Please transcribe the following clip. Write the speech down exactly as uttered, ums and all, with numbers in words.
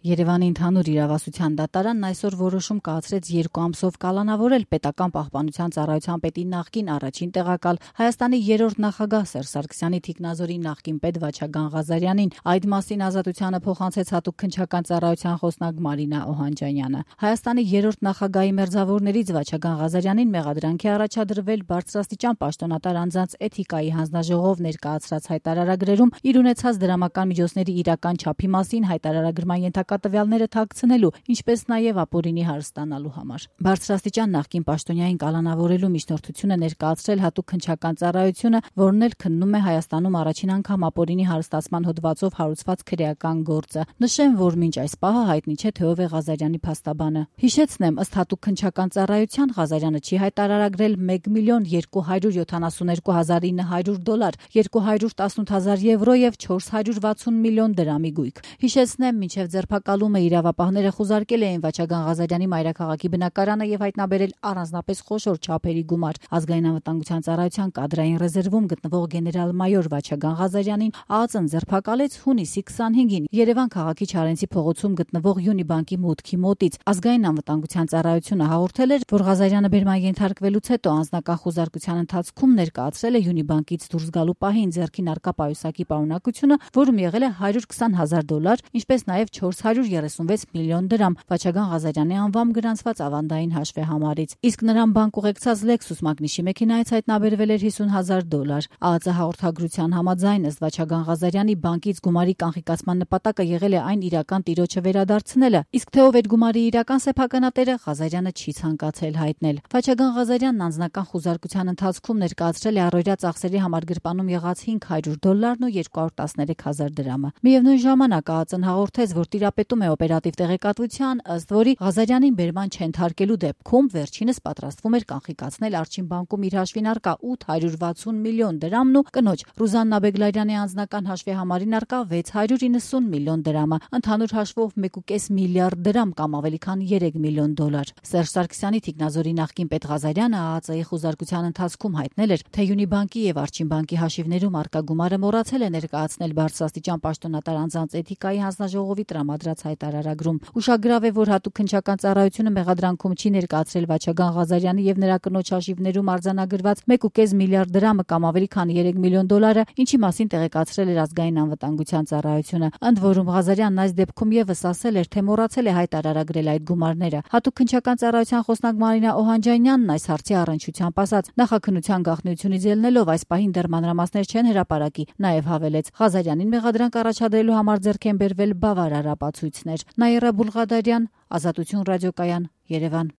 Երևանի ընդհանուր իրավասության դատարանն այսօր որոշում կայացրեց երկու ամսով կալանավորել պետական պահպանության ծառայության պետի նախկին առաջին տեղակալ Հայաստանի երրորդ նախագահ Սերժ Սարգսյանի թիկնազորի նախկին պետ Վաչագան Ղազարյանին։ Այդ մասին Ազատությանը փոխանցեց հատուկ քննչական ծառայության խոսնակ Մարինա Օհանջանյանը։ Հայաստանի երրորդ նախագահի մերձավորներից Վաչագան Ղազարյանին մեղադրանքի առաջադրվել բարձրաստիճան պաշտոնատար անձանց էթիկայի հանձնաժողով ներկայացրած հայտարարագրերում իր ունեցած դրամական միջոցների իրական չափի մասին հայտարարագրման ենթակա տվյալները թաքցնելու, ինչպես նաև ապօրինի հարստանալու համար։ Բարձրաստիճան նախկին պաշտոնյային կալանավորելու միջնորդությունը ներկայացրել հատուկ քննչական ծառայությունը, որն էլ քննում է Հայաստանում առաջին անգամ ապօրինի հարստացման հոդվածով հարուցված քրեական գործը։ Նշեմ, որ մինչ այս պահը հայտնի չէ, թե ով է Ղազարյանի փաստաբանը։ Հիշեցնեմ, ըստ հատուկ քննչական ծառայության Ղազարյանը չի հայտարարագրել մեկ միլիոն երկու հարյուր յոթանասունհինգ հազար ինը հարյուր դոլար, երկու հարյուր տասնութ հազար եվրո եւ չորս հարյուր վաթսուն միլիոն դրամի գույք։ Հիշեցնեմ, մինչև ձերբակալումը իրավապահները խուզարկել էին Վաչագան Ղազարյանի մայրաքաղաքի բնակարանը եւ հայտնաբերել առանձնապես խոշոր չափերի գումար։ Ազգային անվտանգության ծառայության կադրային ռեզերվում գտնվող գեներալ-մայոր Վաչագան Ղազարյանին ԱԱԾ-ն ձերբակալեց հունիսի քսանհինգին Երևան քաղաքի Չարենցի փողոցում գտնվող Յունիբանկի մուտքի մոտից։ Ազգային անվտանգության ծառայությունը հաղորդել էր, որ Ղազարյանը բերման ենթարկվելուց հետո անձնական խուզարկության ընթացքում ներկայացրել է Յունիբանկից դուրս գալու պահին ձեռքին առկա պայուսակի պարունակությունը, որում եղել է հարյուր քսան հազար դոլար, ինչպես նաև չորս հարյուր երեսունվեց միլիոն դրամ Վաչագան Ղազարյանի անվամբ գրանցված ավանդային հաշվեհամարից։ Իսկ նրան բանկ ուղեկցած Lexus մագնիշի մեքենայից հայտնաբերվել էր հիսուն հազար դոլար։ ԱԱԾ հաղորդագրության համաձայն ըստ Վաչագան Ղազարյանի բանկից գումարի կանխիկացման նպատակը եղել է այն իրական տիրոջը վերադարձնելը, իսկ թե ով էր գումարի իրական սեփականատերը Ղազարյանը չի ցանկացել հայտնել։ Վաչագան Ղազարյանն անձնական խուզարկության ընթացքում ներկայացրել է առօրյա ծախսերի համար գրպանում եղած հինգ հարյուր դոլարն ու երկու հարյուր տասներեք հազար դրամը։ Միևնույն ժամանակ ԱԱԾ-ն հաղորդեց, որ տիրապետում է օպերատիվ տեղեկատվության, ըստ որի Ղազարյանին բերման չենթարկելու դեպքում վերջինս պատրաստվում էր կանխիկացնել Արջին բանկում իր հաշվին առկա ութ հարյուր վաթսուն միլիոն դրամն ու կնոջ Ռուզաննա Բեգլարյանի անձնական հաշվեհամարին առկա վեց հարյուր իննսուն միլիոն դրամը, ընդհանուր հաշվով մեկ ու կես միլիարդ դրամ կամ ավելի քան երեք միլիոն դոլար։ Սերժ Սարգսյանի թիկնազորի նախկին պետ Ղազարյանը ԱԱԾ-ի խուզարկության ընթացքում հայտնել էր, թե Յունիբանկի եւ Արջին բանկի հաշիվներում առկա գումարը մոռացել է ներկայացնել բարձրաստիճան պաշտոնատար անձանց էթիկայի հանձնաժողովի տրամադրած հայտարարագրում։ Ուշագրավ է, որ հատուկ քննչական ծառայությունը մեղադրանքում չի ներկայացրել Վաչագան Ղազարյանի եւ նրա կնոջ հաշիվներում արձանագրված մեկ ու կես միլիարդ դրամը կամ ավելի քան երեք միլիոն դոլարը, ինչի մասին տեղեկացրել էր ազգային անվտանգության ծառայությունը։ Ընդ որում Ղազարյանն այս դեպքում եւս ասել էր, թե մոռացել է հայտարարագրել այդ գումարները։ Հատուկ քննչական ծառայության խոսնակ Մարինա Օհանջանյանն այս հարցի առնչությամբ ասաց. նախաքննության գաղտնիությունից ելնելով այս պահին դեռ մանրամասներ չեն հրապարակի, նաեւ հավելեց. Ղազարյանին մեղադրանք առաջադրելու համար ձեռք են բերվել բավարար ապացույցներ։ Նաիրա Բուլղադարյան, Ազատություն ռադիոկայան, Երևան։